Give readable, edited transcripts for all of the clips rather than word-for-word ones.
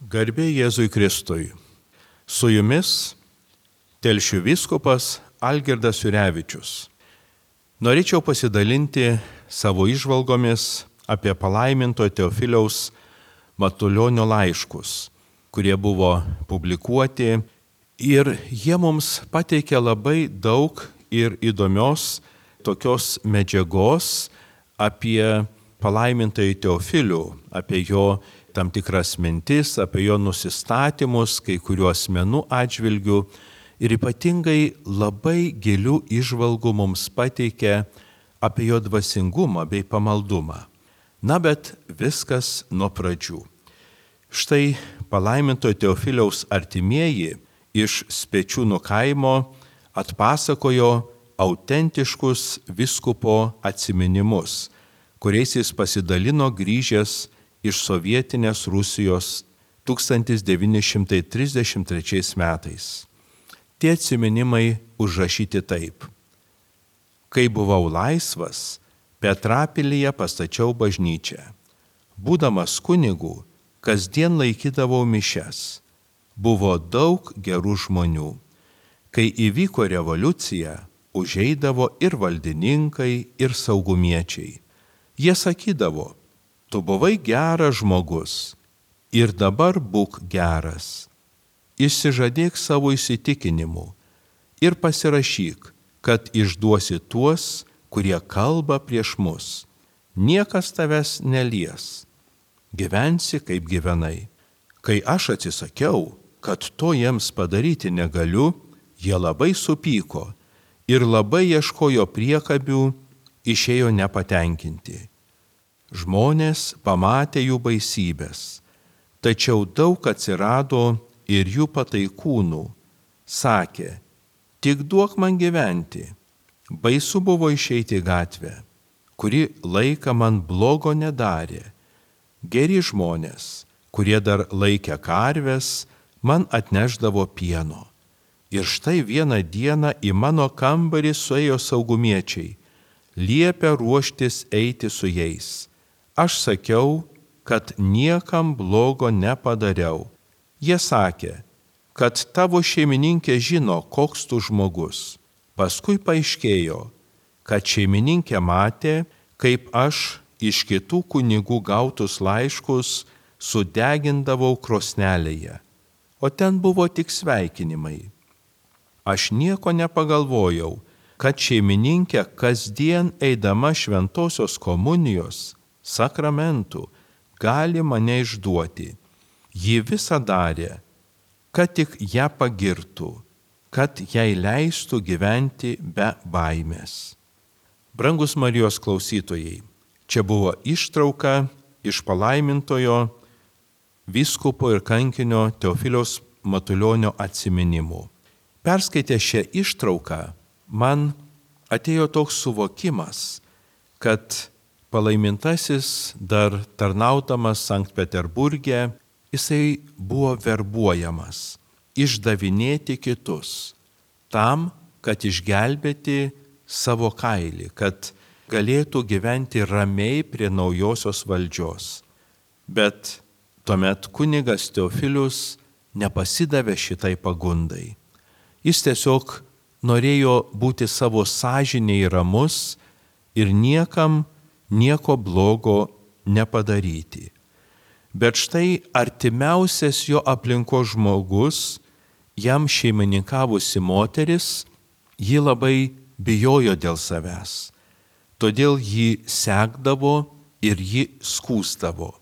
Garbė Jėzui Kristui. Su jumis Telšių vyskupas Algirdas Jurevičius. Norėčiau pasidalinti savo įžvalgomis apie palaiminto Teofiliaus Matulionio laiškus, kurie buvo publikuoti ir jie mums pateikė labai daug ir įdomios tokios medžiagos apie palaimintąjį Teofilių, apie jo tam tikras mintis, apie jo nusistatymus kai kurių asmenų atžvilgių ir ypatingai labai gilių įžvalgų mums pateikė apie jo dvasingumą bei pamaldumą. Na, bet viskas nuo pradžių. Štai palaimintojo Teofiliaus artimieji iš Spečiūnų kaimo atpasakojo autentiškus vyskupo atsiminimus, kuriais jis pasidalino grįžęs iš sovietinės Rusijos 1933 metais. Tie atsiminimai užrašyti taip. Kai buvau laisvas, Petrapilyje pastačiau bažnyčią. Būdamas kunigu, kasdien laikydavau mišias. Buvo daug gerų žmonių. Kai įvyko revoliucija, užeidavo ir valdininkai, ir saugumiečiai. Jie sakydavo, tu buvai geras žmogus ir dabar būk geras. Išsižadėk savo įsitikinimų ir pasirašyk, kad išduosi tuos, kurie kalba prieš mus. Niekas tavęs nelies. Gyvensi kaip gyvenai. Kai aš atsisakiau, kad to jiems padaryti negaliu, jie labai supyko ir labai ieškojo priekabių, išėjo nepatenkinti. Žmonės pamatė jų baisybės, tačiau daug atsirado ir jų pataikūnų. Sakė, tik duok man gyventi. Baisu buvo išeiti į gatvę, kuri laiką man blogo nedarė. Geri žmonės, kurie dar laikė karves, man atnešdavo pieno. Ir štai vieną dieną į mano kambarį suėjo saugumiečiai, liepė ruoštis eiti su jais. Aš sakiau, kad niekam blogo nepadariau. Jie sakė, kad tavo šeimininkė žino, koks tu žmogus. Paskui paaiškėjo, kad šeimininkė matė, kaip aš iš kitų kunigų gautus laiškus sudegindavau krosnelėje, o ten buvo tik sveikinimai. Aš nieko nepagalvojau, kad šeimininkė kasdien eidama šventosios komunijos sakramentų gali mane išduoti. Ji visą darė, kad tik ją pagirtų, kad jai leistų gyventi be baimės. Brangus Marijos klausytojai, čia buvo ištrauka iš palaimintojo vyskupo ir kankinio Teofiliaus Matulionio atsiminimų. Perskaitę šią ištrauką, man atėjo toks suvokimas, kad palaimintasis dar tarnaudamas Sankt Peterburge, jisai buvo verbuojamas, išdavinėti kitus, tam, kad išgelbėti savo kailį, kad galėtų gyventi ramiai prie naujosios valdžios. Bet tuomet kunigas Teofilius nepasidavė šitai pagundai. Jis tiesiog norėjo būti savo sąžinėje ramus ir niekam nieko blogo nepadaryti. Bet štai artimiausias jo aplinkos žmogus, jam šeimininkavusi moteris, ji labai bijojo dėl savęs. Todėl jį sekdavo ir jį skųsdavo.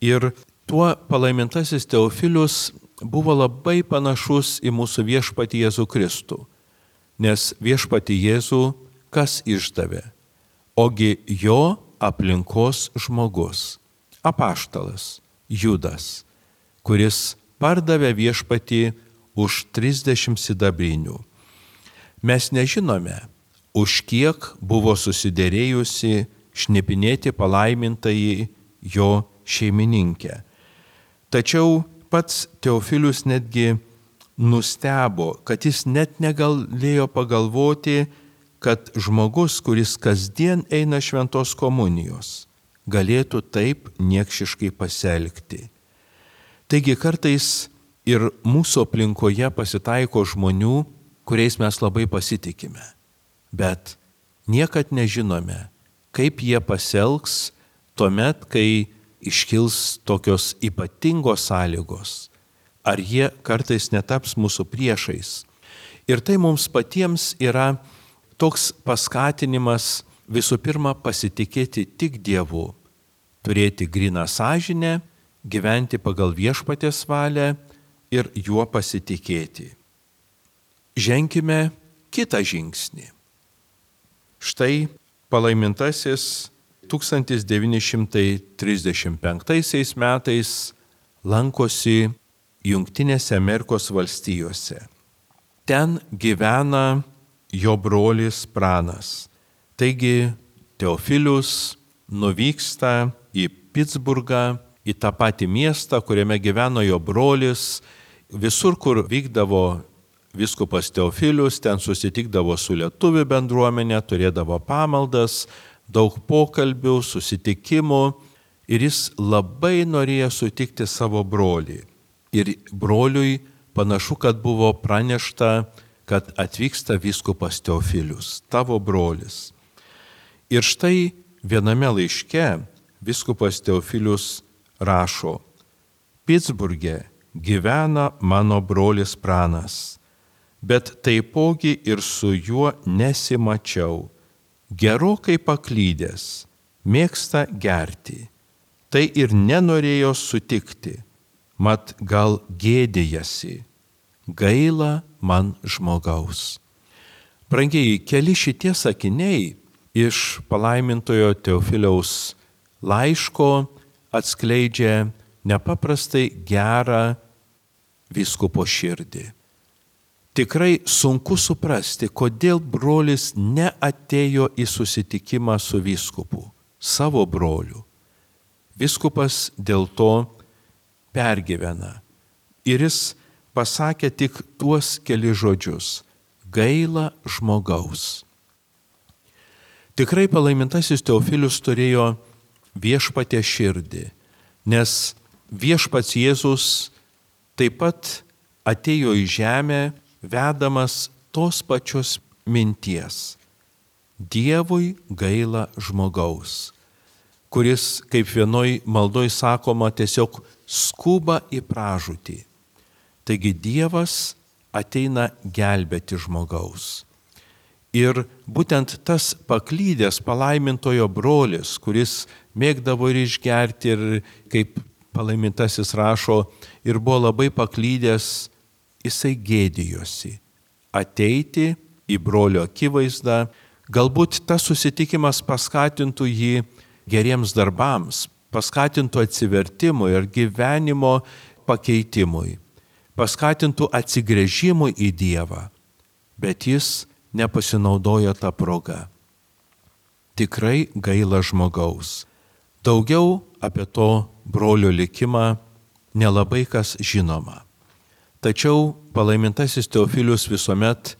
Ir tuo palaimintasis Teofilius buvo labai panašus į mūsų viešpatį Jėzų Kristų. Nes viešpatį Jėzų kas išdavė? Ogi jo aplinkos žmogus, apaštalas Judas, kuris pardavė viešpatį už 30 sidabrinių. Mes nežinome, už kiek buvo susiderėjusi šnipinėti palaimintąjį jo šeimininkę. Tačiau pats Teofilius netgi nustebo, kad jis net negalėjo pagalvoti, kad žmogus, kuris kasdien eina šventos komunijos, galėtų taip niekšiškai pasielgti. Taigi kartais ir mūsų aplinkoje pasitaiko žmonių, kuriais mes labai pasitikime, bet niekad nežinome, kaip jie pasielgs tuomet, kai iškils tokios ypatingos sąlygos, ar jie kartais netaps mūsų priešais. Ir tai mums patiems yra toks paskatinimas visų pirma pasitikėti tik Dievu, turėti gryną sąžinę, gyventi pagal Viešpaties valią ir juo pasitikėti. Ženkime kitą žingsnį. Štai palaimintasis 1935 metais lankosi Jungtinėse Amerikos valstijose. Ten gyvena jo brolis Pranas. Taigi Teofilius nuvyksta į Pitsburgą, į tą patį miestą, kuriame gyveno jo brolis. Visur, kur vykdavo vyskupas Teofilius, ten susitikdavo su lietuvių bendruomenė, turėdavo pamaldas, daug pokalbių, susitikimų ir jis labai norėjo sutikti savo brolį. Ir broliui panašu, kad buvo pranešta, kad atvyksta vyskupas Teofilius, tavo brolis. Ir štai viename laiške vyskupas Teofilius rašo: Pitsburge gyvena mano brolis Pranas, bet taipogi ir su juo nesimačiau. Gerokai paklydęs, mėgsta gerti, tai ir nenorėjo sutikti, mat gal gėdijasi, gaila man žmogaus. Brangieji, keli šitie sakiniai iš palaimintojo Teofiliaus laiško atskleidžia nepaprastai gerą vyskupo širdį. Tikrai sunku suprasti, kodėl brolis neatėjo į susitikimą su vyskupu, savo broliu. Vyskupas dėl to pergyvena. Ir jis pasakė tik tuos keli žodžius: gaila žmogaus. Tikrai palaimintasis Teofilius turėjo viešpaties širdį, nes viešpats Jėzus taip pat atėjo į žemę vedamas tos pačios minties. Dievui gaila žmogaus, kuris, kaip vienoj maldoj sakoma, tiesiog skuba į pražūtį. Taigi Dievas ateina gelbėti žmogaus. Ir būtent tas paklydęs palaimintojo brolis, kuris mėgdavo ir išgerti, ir kaip palaimintasis rašo, ir buvo labai paklydęs, jisai gėdijosi ateiti į brolio akivaizdą. Galbūt tas susitikimas paskatintų jį geriems darbams, paskatintų atsivertimui ir gyvenimo pakeitimui, paskatintų atsigręžimui į Dievą, bet jis nepasinaudojo tą progą. Tikrai gaila žmogaus. Daugiau apie to brolio likimą nelabai kas žinoma. Tačiau palaimintasis Teofilius visuomet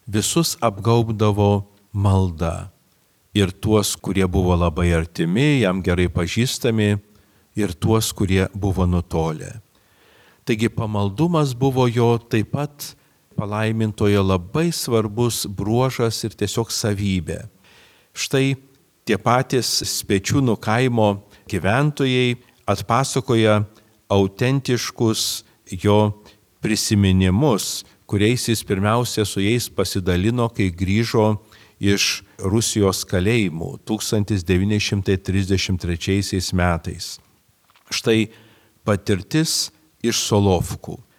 visus apgaubdavo malda. Ir tuos, kurie buvo labai artimi, jam gerai pažįstami, ir tuos, kurie buvo nutolę. Taigi pamaldumas buvo jo taip pat palaimintojo labai svarbus bruožas ir tiesiog savybė. Štai tie patys Spečiūnų kaimo gyventojai atpasakoja autentiškus jo prisiminimus, kuriais jis pirmiausia su jais pasidalino, kai grįžo iš Rusijos kalėjimų 1933 metais. Štai patirtis iš Solovkų.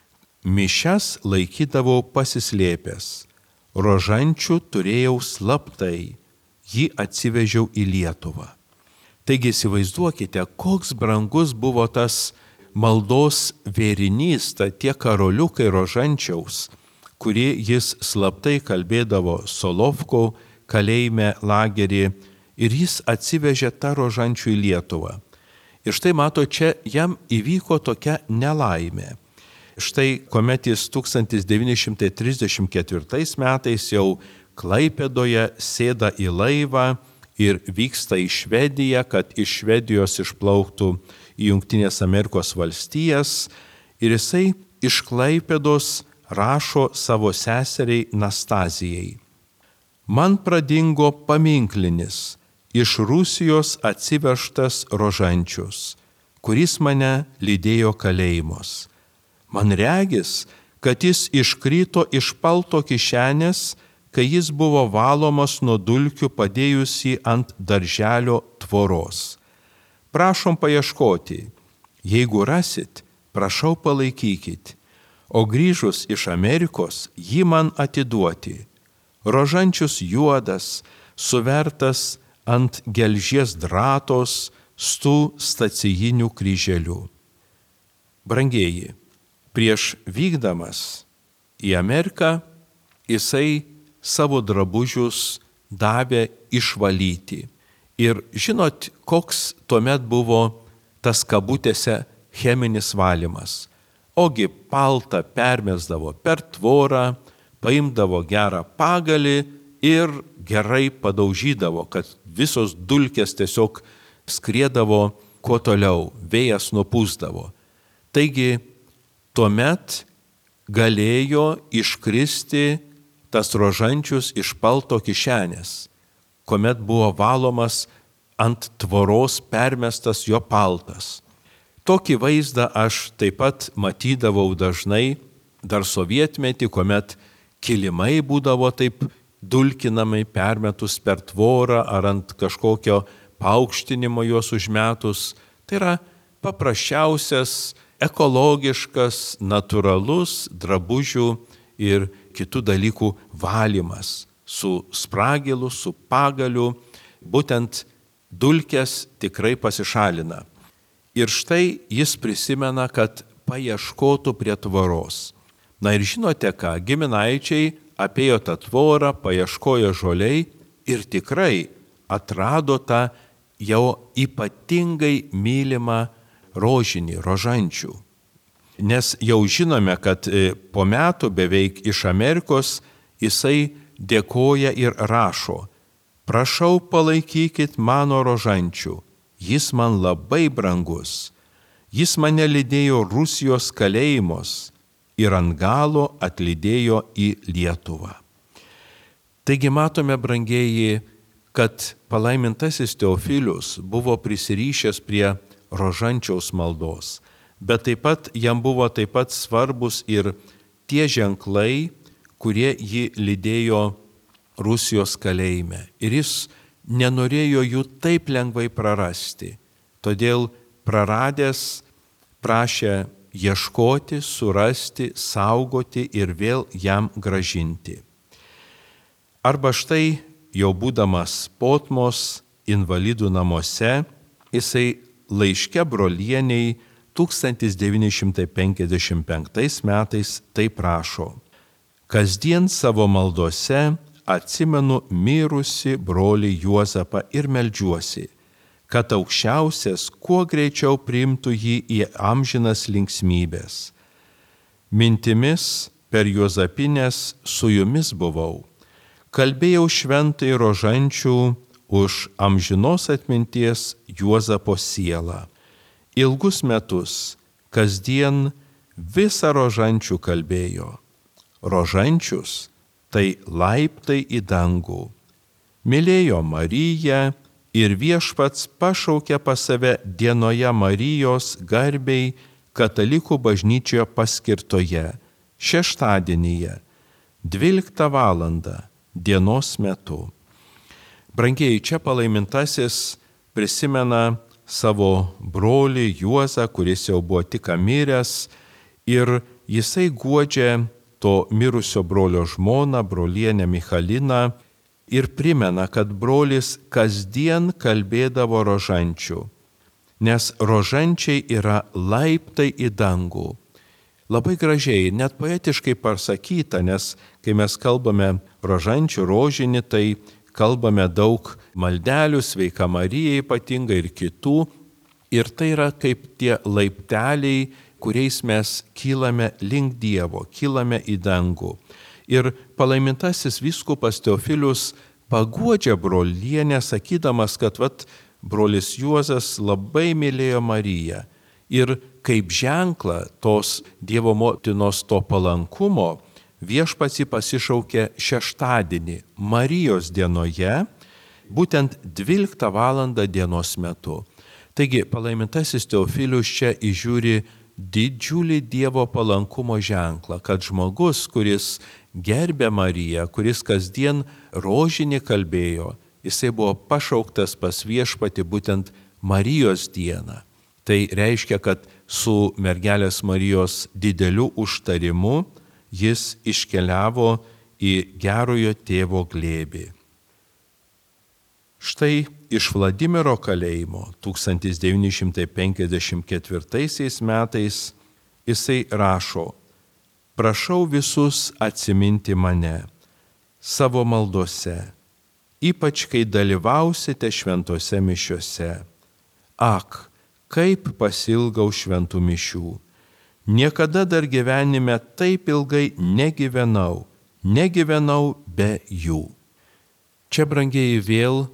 Mišias laikydavau pasislėpęs, rožančių turėjau slaptai, jį atsivežiau į Lietuvą. Taigi įsivaizduokite, koks brangus buvo tas maldos vėrinys, tie karoliukai rožančiaus, kurį jis slaptai kalbėdavo Solovkų kalėjime lagerį, ir jis atsivežė tą rožančių į Lietuvą. Ir štai mato, čia jam įvyko tokia nelaimė. Štai kuomet jis 1934 metais jau Klaipėdoje sėda į laivą ir vyksta į Švediją, kad iš Švedijos išplauktų į Jungtinės Amerikos valstijas, ir jisai iš Klaipėdos rašo savo seseriai Nastazijai. Man pradingo paminklinis, iš Rusijos atsivežtas Rožančius, kuris mane lydėjo kalėjimus. Man regis, kad jis iškrito iš palto kišenės, kai jis buvo valomas nuo dulkių padėjus jį ant darželio tvoros. Prašom paieškoti, jeigu rasit, prašau palaikykit, o grįžus iš Amerikos jį man atiduoti. Rožančius juodas, suvertas ant gelžies dratos su stacijiniu kryželiu. Brangieji, prieš vykdamas į Ameriką jisai savo drabužius davė išvalyti. Ir žinot, koks tuomet buvo tas kabutėse cheminis valymas. Ogi paltą permesdavo per tvorą, paimdavo gerą pagalį ir gerai padaužydavo, kad visos dulkės tiesiog skriedavo kuo toliau, vėjas nupūsdavo. Taigi, tuomet galėjo iškristi tas Rožančius iš palto kišenės, kuomet buvo valomas ant tvoros permestas jo paltas. Tokį vaizdą aš taip pat matydavau dažnai dar sovietmetį, kuomet kilimai būdavo taip dulkinamai permetus per tvorą ar ant kažkokio paaukštinimo juos užmetus. Tai yra paprasčiausias, ekologiškas, natūralus drabužių ir kitų dalykų valymas su spragilu, su pagaliu, būtent dulkės tikrai pasišalina. Ir štai jis prisimena, kad paieškotų prie tvoros. Na ir žinote ką, giminaičiai apėjo tą tvorą, paieškojo žoliai ir tikrai atrado tą jau ypatingai mylimą rožinį, Rožančių. Nes jau žinome, kad po metų beveik iš Amerikos jisai dėkoja ir rašo: prašau palaikykit mano Rožančių, jis man labai brangus, jis mane lydėjo Rusijos kalėjimus ir ant galo atlydėjo į Lietuvą. Taigi matome, brangieji, kad palaimintasis Teofilius buvo prisirišęs prie Rožančiaus maldos, bet taip pat jam buvo taip pat svarbus ir tie ženklai, kurie jį lydėjo Rusijos kalėjime. Ir jis nenorėjo jų taip lengvai prarasti. Todėl praradęs prašė ieškoti, surasti, saugoti ir vėl jam gražinti. Arba štai, jau būdamas Potmos invalidų namuose, jisai laiške brolieniai 1955 metais taip rašo: kasdien savo maldose atsimenu mirusi brolį Juozapą ir meldžiuosi, kad Aukščiausias kuo greičiau priimtų jį į amžinas linksmybės. Mintimis per Juozapines su jumis buvau. Kalbėjau šventai Rožančių už amžinos atminties Juozapo sielą. Ilgus metus kasdien visą Rožančių kalbėjo. Rožančius tai laiptai į dangų. Mylėjo Mariją ir Viešpats pašaukė pas save dienoje Marijos garbei katalikų bažnyčioje paskirtoje, šeštadienyje, 12 valandą dienos metu. Brangieji, čia palaimintasis prisimena savo brolį Juozą, kuris jau buvo tik miręs, ir jisai guodžia to mirusio brolio žmoną, brolienę Michaliną, ir primena, kad brolis kasdien kalbėdavo Rožančių, nes Rožančiai yra laiptai į dangų. Labai gražiai, net poetiškai pasakyta, nes kai mes kalbame Rožančių rožinį, tai kalbame daug maldelių, Sveika Marija ypatingai ir kitų, ir tai yra kaip tie laipteliai, kuriais mes kylame link Dievo, kylame į dangų. Ir palaimintasis vyskupas Teofilius paguodžia brolienę, sakydamas, kad brolis Juozas labai mylėjo Mariją. Ir kaip ženklą tos Dievo motinos to palankumo Viešpats jį pasišaukė šeštadienį Marijos dienoje, būtent 12 valandą dienos metu. Taigi palaimintasis Teofilius čia įžiūri didžiulį Dievo palankumo ženklą, kad žmogus, kuris gerbė Mariją, kuris kasdien rožinį kalbėjo, jisai buvo pašauktas pas Viešpatį būtent Marijos dieną. Tai reiškia, kad su mergelės Marijos dideliu užtarimu jis iškeliavo į gerojo tėvo glėbį. Štai iš Vladimiro kalėjimo 1954 metais jisai rašo: prašau visus atsiminti mane savo maldose, ypač kai dalyvausite šventose mišiose. Ak, kaip pasilgau šventų mišių. Niekada dar gyvenime taip ilgai negyvenau be jų. Čia, brangieji, vėl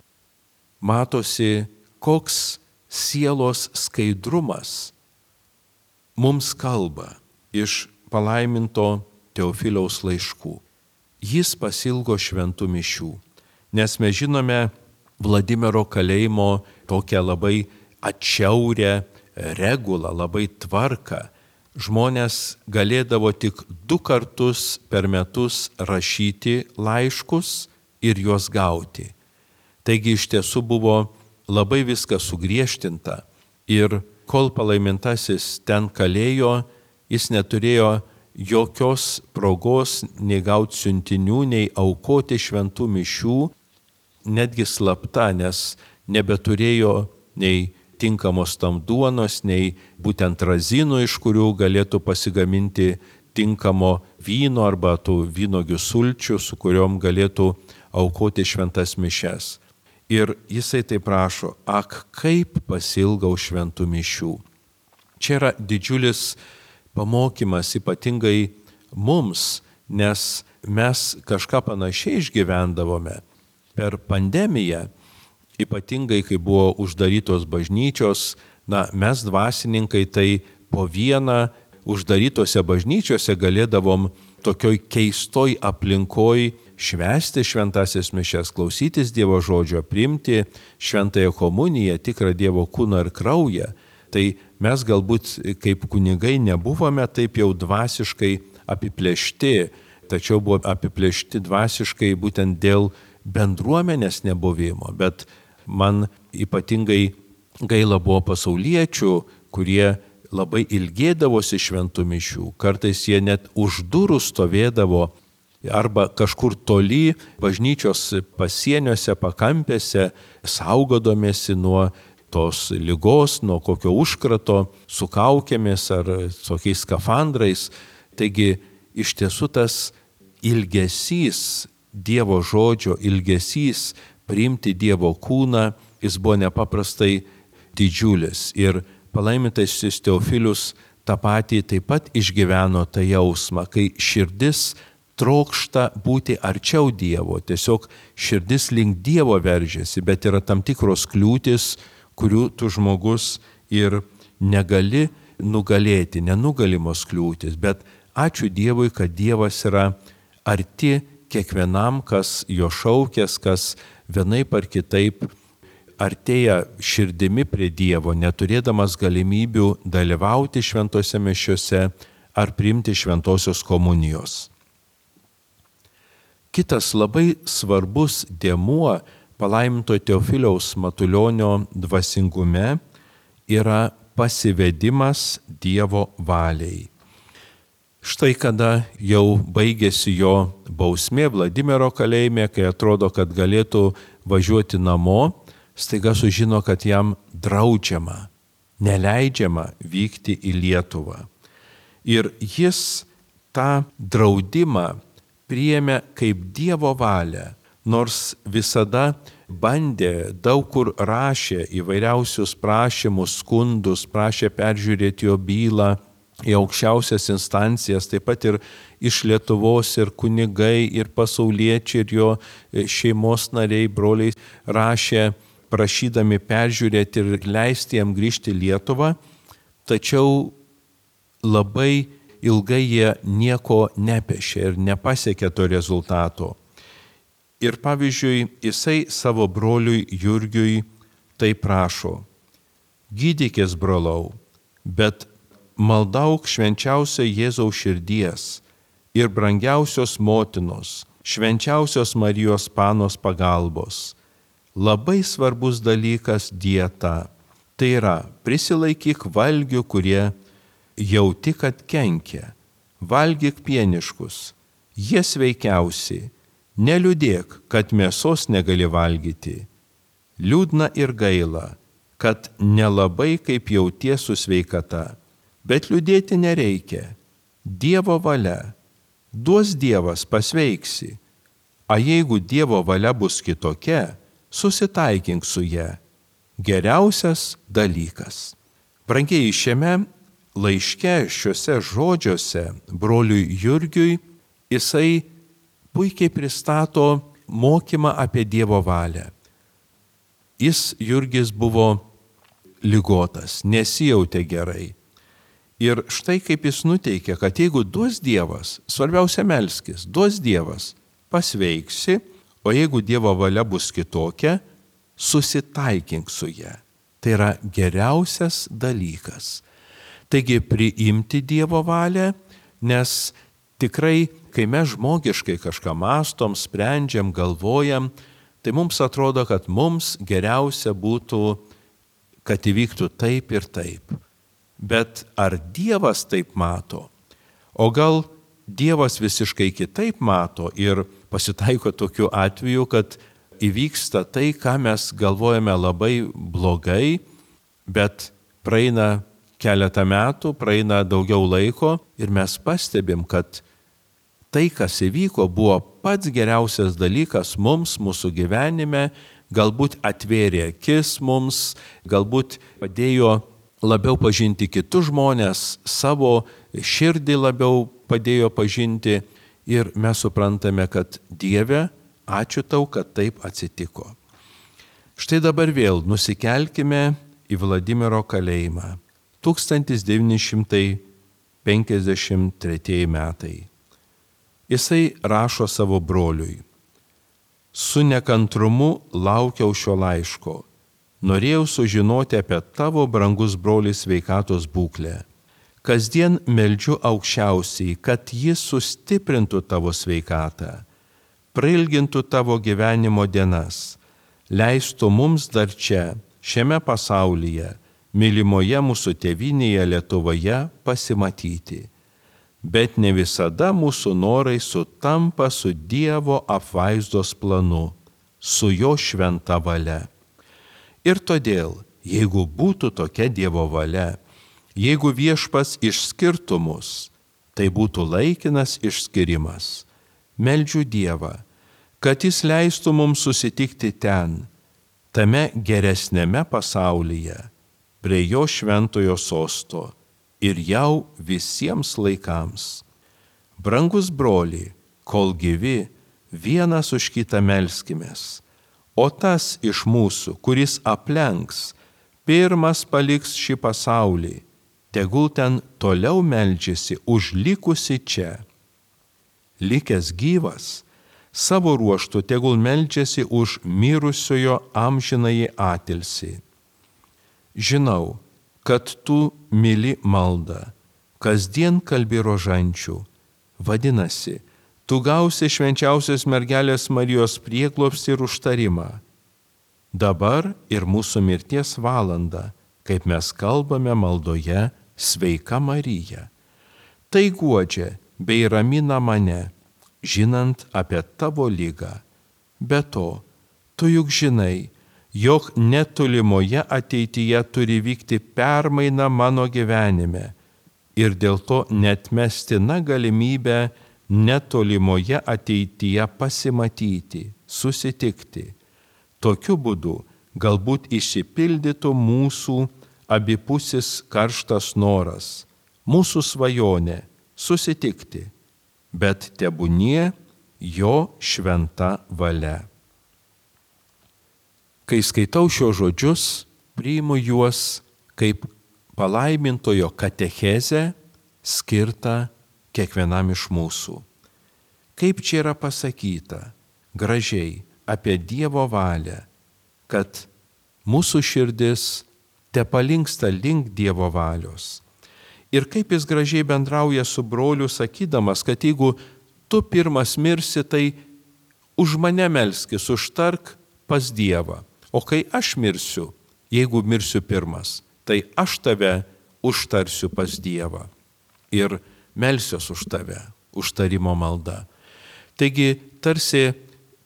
matosi, koks sielos skaidrumas mums kalba iš palaiminto Teofiliaus laiškų. Jis pasilgo šventų mišių, nes mes žinome Vladimiro kalėjimo tokią labai atšiaurę regulą, labai tvarką. Žmonės galėdavo tik 2 kartus per metus rašyti laiškus ir juos gauti. Taigi iš tiesų buvo labai viskas sugriežtinta ir kol palaimintasis ten kalėjo, jis neturėjo jokios progos nei gauti siuntinių, nei aukoti šventų mišių, netgi slapta, nes nebeturėjo nei tinkamos tam duonos, nei būtent razinų, iš kurių galėtų pasigaminti tinkamo vyno arba tų vynogių sulčių, su kuriuom galėtų aukoti šventas mišias. Ir jisai taip prašo: ak, kaip pasilgau šventų mišių. Čia yra didžiulis pamokymas ypatingai mums, nes mes kažką panašiai išgyvendavome per pandemiją. Ypatingai, kai buvo uždarytos bažnyčios, mes dvasininkai tai po vieną uždarytose bažnyčiose galėdavom tokioj keistoj aplinkoj švęsti šventasias mišias, klausytis Dievo žodžio, priimti šventąją komuniją, tikrą Dievo kūną ir kraują. Tai mes galbūt kaip kunigai nebuvome taip jau dvasiškai apiplėšti, tačiau buvo apiplėšti dvasiškai būtent dėl bendruomenės nebuvimo. Bet man ypatingai gaila buvo pasauliečių, kurie labai ilgėdavosi šventų mišių. Kartais jie net už durų stovėdavo arba kažkur toli bažnyčios pasieniuose, pakampėse, saugodomėsi nuo tos ligos, nuo kokio užkrato, su kaukėmis ar tokiais skafandrais. Taigi iš tiesų tas ilgesys, Dievo žodžio ilgesys, priimti Dievo kūną, jis buvo nepaprastai didžiulis. Ir palaimintasis Teofilius tą patį taip pat išgyveno tą jausmą, kai širdis trokšta būti arčiau Dievo, tiesiog širdis link Dievo veržiasi, bet yra tam tikros kliūtis, kurių tu žmogus ir negali nugalėti, nenugalimos kliūtis. Bet ačiū Dievui, kad Dievas yra arti kiekvienam, kas jo šaukės, kas vienaip ar kitaip artėja širdimi prie Dievo, neturėdamas galimybių dalyvauti šventose mišiose ar priimti šventosios komunijos. Kitas labai svarbus dėmuo palaiminto Teofiliaus Matulionio dvasingume yra pasivedimas Dievo valiai. Štai kada jau baigėsi jo bausmė Vladimiro kalėjime, kai atrodo, kad galėtų važiuoti namo, staiga sužino, kad jam draudžiama, neleidžiama vykti į Lietuvą. Ir jis tą draudimą priėmė kaip Dievo valią, nors visada bandė, daug kur rašė įvairiausius prašymus, skundus, prašė peržiūrėti jo bylą į aukščiausias instancijas, taip pat ir iš Lietuvos ir kunigai, ir pasauliečiai, ir jo šeimos nariai, broliai rašė, prašydami peržiūrėti ir leisti jam grįžti į Lietuvą. Tačiau labai ilgai jie nieko nepešė ir nepasiekė to rezultato. Ir pavyzdžiui, jisai savo broliui Jurgiui tai prašo: gydykis, brolau, bet maldauk švenčiausio Jėzaus širdies ir brangiausios motinos, švenčiausios Marijos Panos pagalbos. Labai svarbus dalykas dieta. Tai yra, prisilaikyk valgių, kurie jauti, kad kenkia. Valgyk pieniškus, jie sveikiausi. Neliūdėk, kad mėsos negali valgyti. Liūdna ir gaila, kad nelabai kaip jauties su sveikata. Bet liūdėti nereikia. Dievo valia. Duos Dievas, pasveiksi. A jeigu Dievo valia bus kitokia, susitaikink su ja. Geriausias dalykas. Brangieji, šiame laiške, šiuose žodžiuose broliui Jurgiui jisai puikiai pristato mokymą apie Dievo valią. Jurgis buvo ligotas, nesijautė gerai. Ir štai kaip jis nuteikė, kad jeigu duos Dievas, svarbiausia melskis, duos Dievas, pasveiksi, o jeigu Dievo valia bus kitokia, susitaikink su ja. Tai yra geriausias dalykas. Taigi priimti Dievo valią, nes tikrai, kai mes žmogiškai kažką mąstom, sprendžiam, galvojam, tai mums atrodo, kad mums geriausia būtų, kad įvyktų taip ir taip. Bet ar Dievas taip mato? O gal Dievas visiškai kitaip mato ir pasitaiko tokiu atveju, kad įvyksta tai, ką mes galvojame labai blogai, bet praeina keletą metų, praeina daugiau laiko ir mes pastebim, kad tai, kas įvyko, buvo pats geriausias dalykas mums, mūsų gyvenime, galbūt atvėrė akis mums, galbūt padėjo labiau pažinti kitus žmonės, savo širdį labiau padėjo pažinti ir mes suprantame, kad Dieve, ačiū tau, kad taip atsitiko. Štai dabar vėl nusikelkime į Vladimiro kalėjimą. 1953 metai. Jisai rašo savo broliui: su nekantrumu laukiau šio laiško. Norėjau sužinoti apie tavo, brangus brolis, sveikatos būklę. Kasdien meldžiu aukščiausiai, kad jis sustiprintų tavo sveikatą, prailgintų tavo gyvenimo dienas, leistų mums dar čia, šiame pasaulyje, mylimoje mūsų tėvynėje Lietuvoje pasimatyti. Bet ne visada mūsų norai sutampa su Dievo apvaizdos planu, su jo šventa valia. Ir todėl, jeigu būtų tokia Dievo valia, jeigu Viešpats išskirtų mus, tai būtų laikinas išskirimas. Meldžiu Dievą, kad jis leistų mums susitikti ten, tame geresnėme pasaulyje, prie jo šventojo sosto ir jau visiems laikams. Brangus broli, kol gyvi, vienas už kitą melskimės, o tas iš mūsų, kuris aplenks, pirmas paliks šį pasaulį, tegul ten toliau meldžiasi už likusi čia. Likęs gyvas, savo ruožtu tegul meldžiasi už mirusiojo amžinąjį atilsį. Žinau, kad tu myli maldą, kasdien kalbi rožančių. Vadinasi, tu gausi švenčiausios mergelės Marijos prieglobstį ir užtarimą. Dabar ir mūsų mirties valanda, kaip mes kalbame maldoje, Sveika Marija. Tai guodžia bei ramina mane, žinant apie tavo ligą. Be to, tu juk žinai, jog netolimoje ateityje turi vykti permaina mano gyvenime ir dėl to neatmestina galimybė netolimoje ateityje pasimatyti, susitikti. Tokiu būdu galbūt išsipildytų mūsų abipusis karštas noras, mūsų svajonė susitikti, bet tebūnie jo šventa valia. Kai skaitau šios žodžius, priimu juos kaip palaimintojo katechezę skirtą kiekvienam iš mūsų. Kaip čia yra pasakyta gražiai apie Dievo valią, kad mūsų širdis tepalinksta link Dievo valios. Ir kaip jis gražiai bendrauja su broliu, sakydamas, kad jeigu tu pirmas mirsi, tai už mane melskis, užtark pas Dievą. O kai aš mirsiu, jeigu mirsiu pirmas, tai aš tave užtarsiu pas Dievą. Ir melsiuos už tave, užtarimo malda. Taigi, tarsi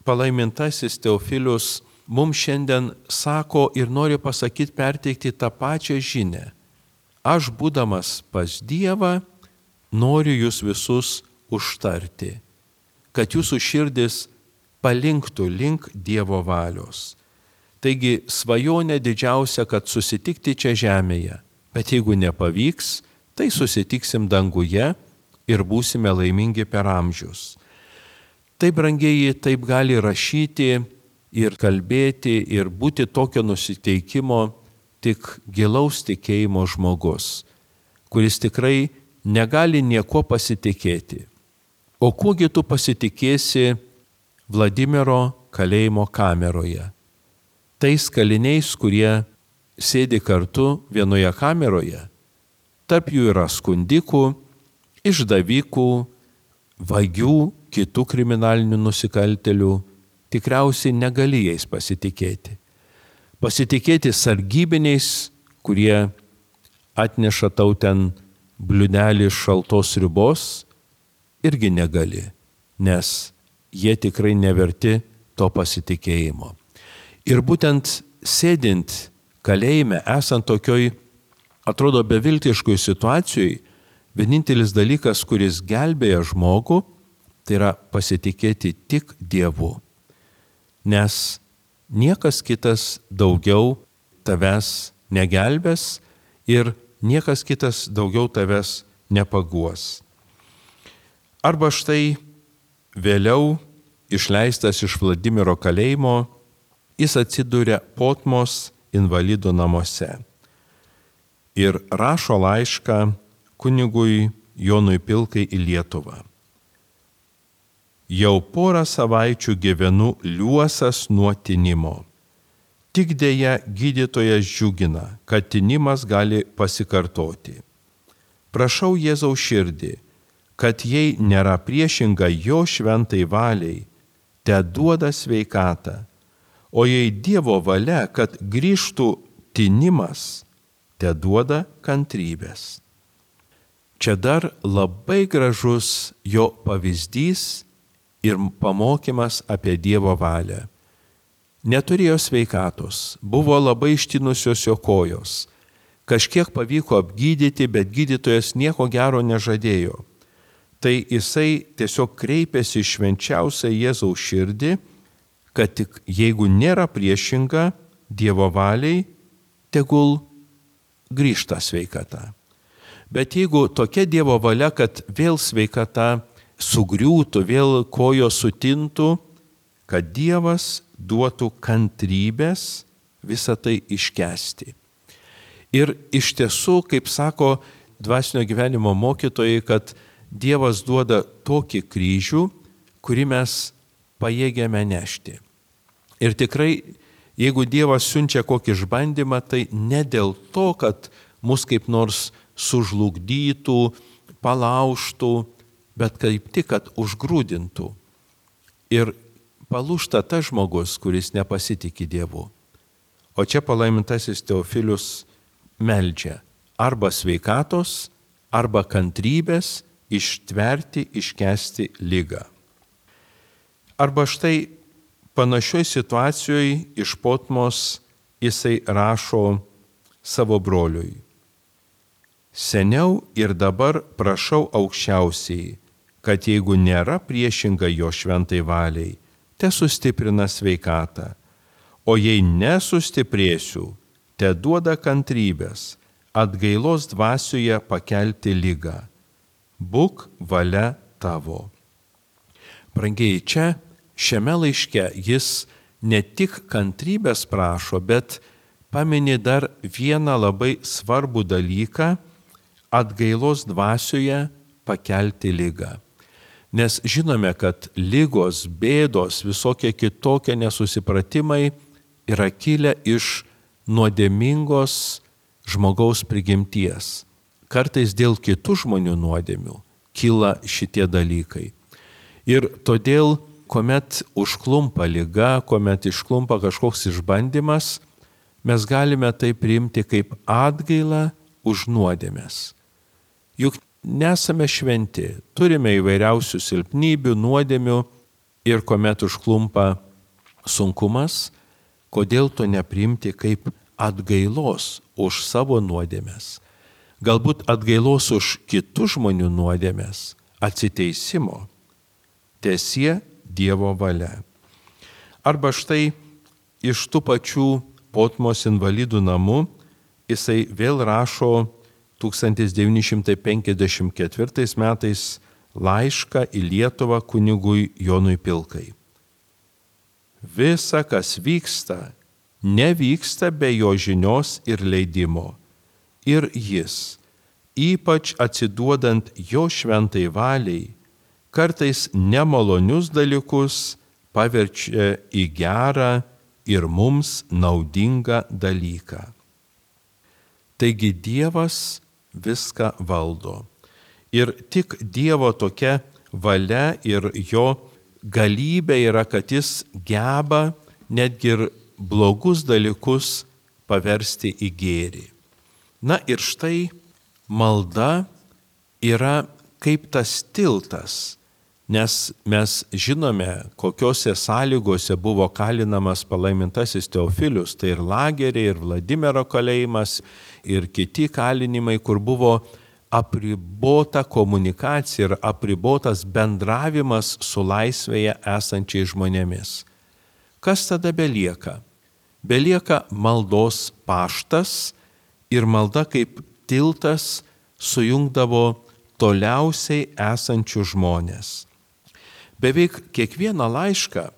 palaimintasis Teofilius mums šiandien sako ir nori pasakyti, perteikti tą pačią žinią. Aš, būdamas pas Dievą, noriu jūs visus užtarti, kad jūsų širdis palinktų link Dievo valios. Taigi svajonė didžiausia, kad susitikti čia žemėje, bet jeigu nepavyks, tai susitiksim danguje ir būsime laimingi per amžius. Taip, brangieji, taip gali rašyti ir kalbėti ir būti tokio nusiteikimo tik gilaus tikėjimo žmogus, kuris tikrai negali nieko pasitikėti. O kuogi tu pasitikėsi Vladimiro kalėjimo kameroje? Tais kaliniais, kurie sėdi kartu vienoje kameroje. Tarp jų yra skundikų, išdavikų, vagių, kitų kriminalinių nusikaltelių. Tikriausiai negali jais pasitikėti. Pasitikėti sargybiniais, kurie atneša tau ten bliūdelį šaltos sriubos, irgi negali, nes jie tikrai neverti to pasitikėjimo. Ir būtent sėdint kalėjime, esant tokioj, atrodo, beviltiškoj situacijoj, vienintelis dalykas, kuris gelbėja žmogų, tai yra pasitikėti tik Dievu. Nes niekas kitas daugiau tavęs negelbės ir niekas kitas daugiau tavęs nepaguos. Arba štai vėliau išleistas iš Vladimiro kalėjimo, jis atsiduria Potmos invalidų namuose ir rašo laišką kunigui Jonui Pilkai į Lietuvą. Jau porą savaičių gyvenu liuosas nuo tinimo. Tik dėja gydytojas džiugina, kad tinimas gali pasikartoti. Prašau Jėzaus širdį, kad jei nėra priešinga jo šventai valiai, te duoda sveikatą, o jei Dievo valia, kad grįžtų tinimas, te duoda kantrybės. Čia dar labai gražus jo pavyzdys ir pamokymas apie Dievo valią. Neturėjo sveikatos, buvo labai ištinusios jo kojos. Kažkiek pavyko apgydyti, bet gydytojas nieko gero nežadėjo. Tai jisai tiesiog kreipėsi į švenčiausią Jėzaus širdį, kad tik jeigu nėra priešinga Dievo valiai, tegul grįžta sveikata. Bet jeigu tokia Dievo valia, kad vėl sveikata sugriūtų, vėl kojos sutintų, kad Dievas duotų kantrybės visą tai iškęsti. Ir iš tiesų, kaip sako dvasinio gyvenimo mokytojai, kad Dievas duoda tokį kryžių, kurį mes pajėgiame nešti. Ir tikrai, jeigu Dievas siunčia kokį išbandymą, tai ne dėl to, kad mus kaip nors sužlugdytų, palaužtų, bet kaip tik, kad užgrūdintų. Ir palūžta tas žmogus, kuris nepasitikė Dievu. O čia palaimintasis Teofilius meldžia arba sveikatos, arba kantrybės ištverti, iškęsti ligą. Arba štai panašioj situacijoje iš Potmos jisai rašo savo broliui. Seniau ir dabar prašau aukščiausiai, kad jeigu nėra priešinga jo šventai valiai, te sustiprina sveikatą, o jei nesustiprėsiu, te duoda kantrybės, atgailos dvasioje pakelti ligą. Būk valia tavo. Brangiai, čia šiame laiške jis ne tik kantrybės prašo, bet pamini dar vieną labai svarbų dalyką, atgailos dvasioje pakelti ligą. Nes žinome, kad ligos, bėdos, visokie kitokie nesusipratimai yra kilę iš nuodėmingos žmogaus prigimties. Kartais dėl kitų žmonių nuodėmių kyla šitie dalykai. Ir todėl, kuomet užklumpa liga, kuomet išklumpa kažkoks išbandymas, mes galime tai priimti kaip atgailą už nuodėmes. Juk nesame šventi, turime įvairiausių silpnybių, nuodėmių ir kuomet užklumpa sunkumas, kodėl to nepriimti kaip atgailos už savo nuodėmes. Galbūt atgailos už kitų žmonių nuodėmes, atsiteisimo. Teesie Dievo valia. Arba štai iš tų pačių Potmos invalidų namų jisai vėl rašo 1954 metais laišką į Lietuvą kunigui Jonui Pilkai. Visa, kas vyksta, nevyksta be jo žinios ir leidimo. Ir jis, ypač atsiduodant jo šventai valiai, kartais nemalonius dalykus paverčia į gerą ir mums naudingą dalyką. Taigi Dievas viską valdo. Ir tik Dievo tokia valia ir jo galybė yra, kad jis geba netgi ir blogus dalykus paversti į gėrį. Na ir štai malda yra kaip tas tiltas, nes mes žinome, kokiose sąlygose buvo kalinamas palaimintasis Teofilius, tai ir lageriai, ir Vladimiro kalėjimas, ir kiti kalinimai, kur buvo apribota komunikacija ir apribotas bendravimas su laisvėje esančiais žmonėmis. Kas tada belieka? Belieka maldos paštas ir malda kaip tiltas sujungdavo toliausiai esančius žmonės. Beveik kiekvieną laišką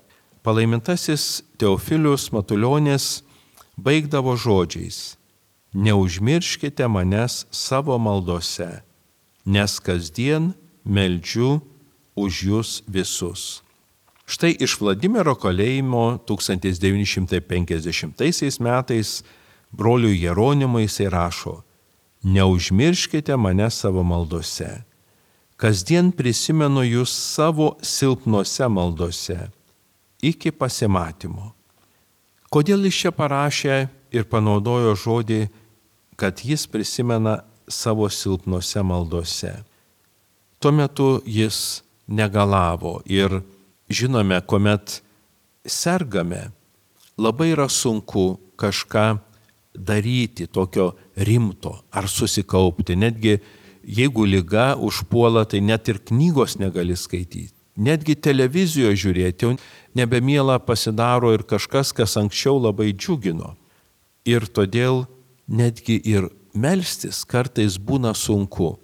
palaimintasis Teofilius Matulionis baigdavo žodžiais: neužmirškite manęs savo maldose, nes kasdien meldžiu už jūs visus. Štai iš Vladimiro kalėjimo 1950 metais broliui Jeronimui jisai rašo: neužmirškite manęs savo maldose. Kasdien prisimenu jūs savo silpnose maldose, iki pasimatymo. Kodėl jis čia parašė ir panaudojo žodį, kad jis prisimena savo silpnose maldose? Tuo metu jis negalavo ir žinome, kuomet sergame, labai yra sunku kažką daryti tokio rimto ar susikaupti. Netgi jeigu liga užpuola, tai net ir knygos negali skaityti. Netgi televizijoje žiūrėti, nebemiela pasidaro ir kažkas, kas anksčiau labai džiugino. Ir todėl netgi ir melstis kartais būna sunku.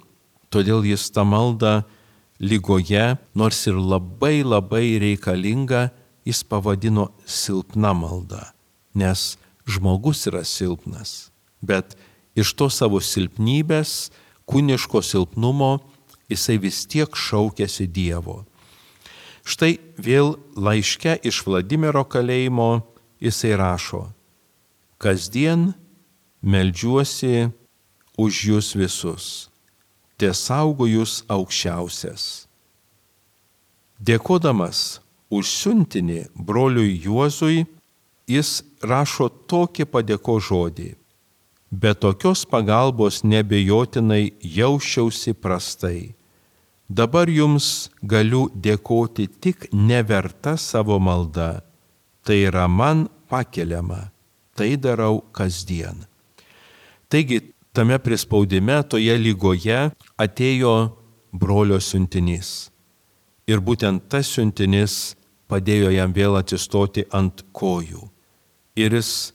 Todėl jis tą maldą ligoje, nors ir labai reikalinga, jis pavadino silpna malda. Nes žmogus yra silpnas, bet iš to savo silpnybės, kūniško silpnumo, jisai vis tiek šaukėsi Dievo. Štai vėl laiške iš Vladimiro kalėjimo jisai rašo: kasdien meldžiuosi už jūs visus, tesaugo jūs aukščiausias. Dėkodamas už siuntinį broliui Juozui, jis rašo tokį padėko žodį: be tokios pagalbos nebejotinai jausčiausi prastai. Dabar jums galiu dėkoti tik neverta savo malda. Tai yra man pakeliama. Tai darau kasdien. Taigi, tame prispaudime, toje ligoje atėjo brolio siuntinys. Ir būtent tas siuntinys padėjo jam vėl atsistoti ant kojų. Ir jis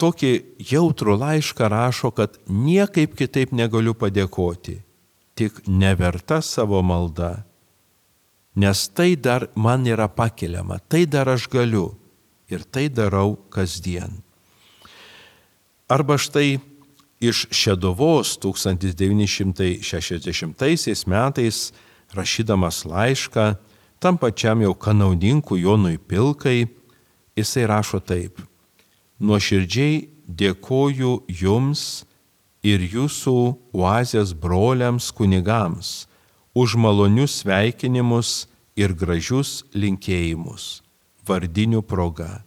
tokį jautrų laišką rašo, kad niekaip kitaip negaliu padėkoti, tik neverta savo malda, nes tai dar man yra pakeliama, tai dar aš galiu ir tai darau kasdien. Arba štai iš Šeduvos 1960 metais, rašydamas laišką tam pačiam jau kanauninkui Jonui Pilkai, jisai rašo taip: nuoširdžiai dėkoju jums ir jūsų oazės broliams kunigams už malonius sveikinimus ir gražius linkėjimus vardinių proga.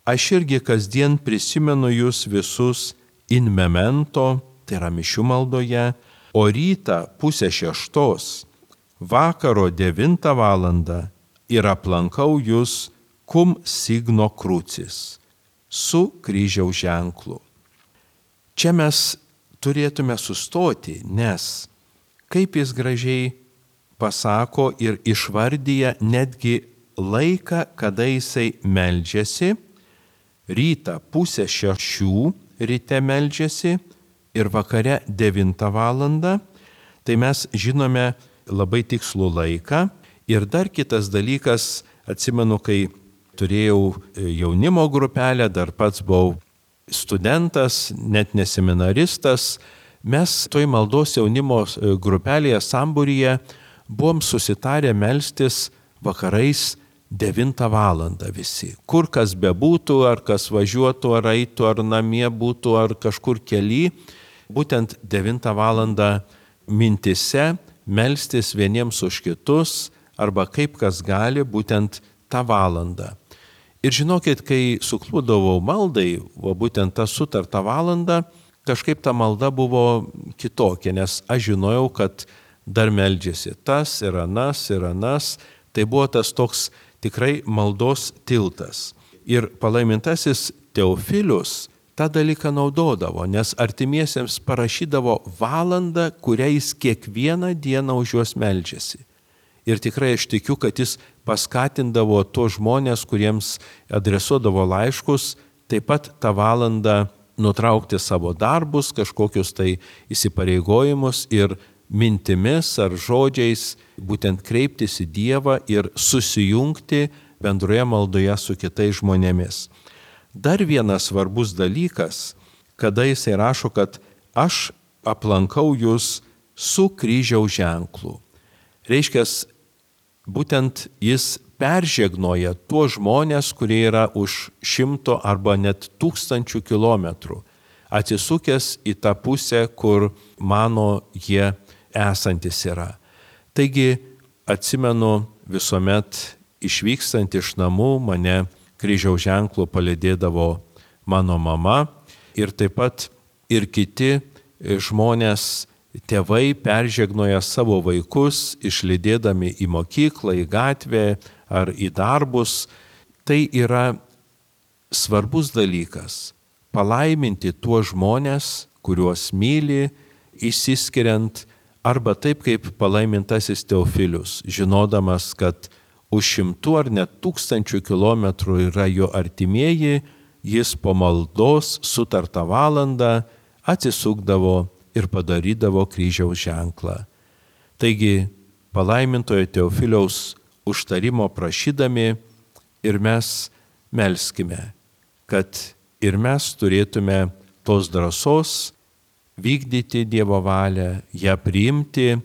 Aš irgi kasdien prisimenu jūs visus in memento, tai yra mišių maldoje, o rytą 5:30, vakaro 9 valandą ir aplankau jūs cum signo crucis, su kryžiaus ženklu. Čia mes turėtume sustoti, nes kaip jis gražiai pasako ir išvardyja netgi laiką, kada jisai meldžiasi, rytą 5:30 ryte meldžiasi ir vakare 9 valandą, tai mes žinome labai tikslų laiką. Ir dar kitas dalykas, atsimenu, kai turėjau jaunimo grupelę, dar pats buvau studentas, net ne seminaristas, mes toj maldos jaunimo grupelėje sambūryje buvom susitarę melstis vakarais 9 valandą visi. Kur kas bebūtų, ar kas važiuotų, ar eitų, ar namie būtų, ar kažkur kely, būtent 9 valandą mintise melstis vieniems už kitus, arba kaip kas gali, būtent tą valandą. Ir žinokit, kai suklūdavau maldai, o būtent tą sutartą valandą, kažkaip ta malda buvo kitokia, nes aš žinojau, kad dar meldžiasi tas ir anas. Tai buvo tas toks tikrai maldos tiltas. Ir palaimintasis Teofilius tą dalyką naudodavo, nes artimiesiems parašydavo valandą, kurią jis kiekvieną dieną už juos meldžiasi. Ir tikrai aš tikiu, kad jis paskatindavo tuos žmonės, kuriems adresuodavo laiškus, taip pat tą valandą nutraukti savo darbus, kažkokius tai įsipareigojimus ir mintimis ar žodžiais būtent kreiptis į Dievą ir susijungti bendroje maldoje su kitais žmonėmis. Dar vienas svarbus dalykas, kada jisai rašo, kad aš aplankau jūs su kryžiaus ženklu. Reiškia, būtent jis peržegnoja tuos žmonės, kurie yra už 100 arba net 1000 kilometrų, atsisukęs į tą pusę, kur mano jie esantis yra. Taigi, atsimenu, visuomet išvykstant iš namų mane kryžiaus ženklu palydėdavo mano mama ir taip pat ir kiti žmonės, tėvai peržegnoja savo vaikus, išlydėdami į mokyklą, į gatvę ar į darbus. Tai yra svarbus dalykas – palaiminti tuos žmonės, kuriuos myli, išsiskiriant, arba taip kaip palaimintasis Teofilius, žinodamas, kad už 100 ar net 1000 kilometrų yra jo artimieji, jis po maldos sutartą valandą atsisukdavo ir padarydavo kryžiaus ženklą. Taigi, palaimintojo Teofiliaus užtarimo prašydami ir mes melskime, kad ir mes turėtume tos drąsos vykdyti Dievo valią, ją priimti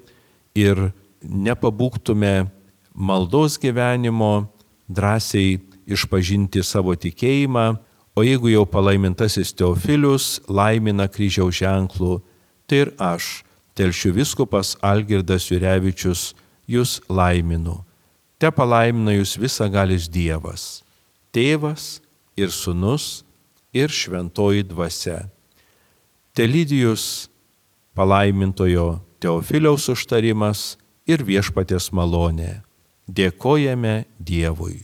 ir nepabūgtume maldos gyvenimo, drąsiai išpažinti savo tikėjimą, o jeigu jau palaimintasis Teofilius laimina kryžiaus ženklų, tai ir aš, Telšių vyskupas Algirdas Jurevičius, jūs laiminu. Te palaimina jūs visagalis Dievas, Tėvas ir Sūnus ir Šventoji Dvasia. Telydi jus palaimintojo Teofiliaus užtarimas ir viešpaties malonė. Dėkojame Dievui.